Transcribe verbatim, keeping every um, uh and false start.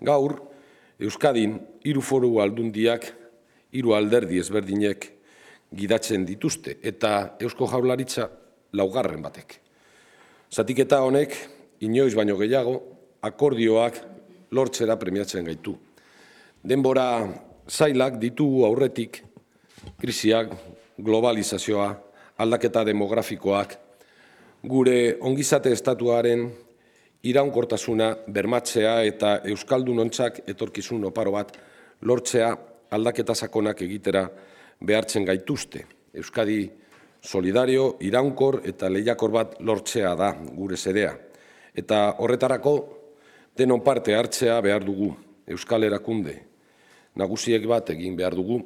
Gaur, Euskadin hiru foru aldundiak, hiru alderdi ezberdinek gidatzen dituzte, eta Eusko Jaurlaritza laugarren batek. Zatiketa honek, inoiz baino gehiago, akordioak lortzera premiatzen gaitu. Denbora zailak ditugu aurretik, krisiak, globalizazioa, aldaketa demografikoak, gure ongizate estatuaren iraunkortasuna bermatzea eta euskaldunontzak etorkizun oparo bat lortzea aldaketa sakonak egitera behartzen gaituzte. Euskadi solidario, iraunkor eta lehiakor bat lortzea da gure xedea. Eta horretarako denon parte hartzea behar dugu, Euskal Erakunde nagusiek bat egin behar dugu,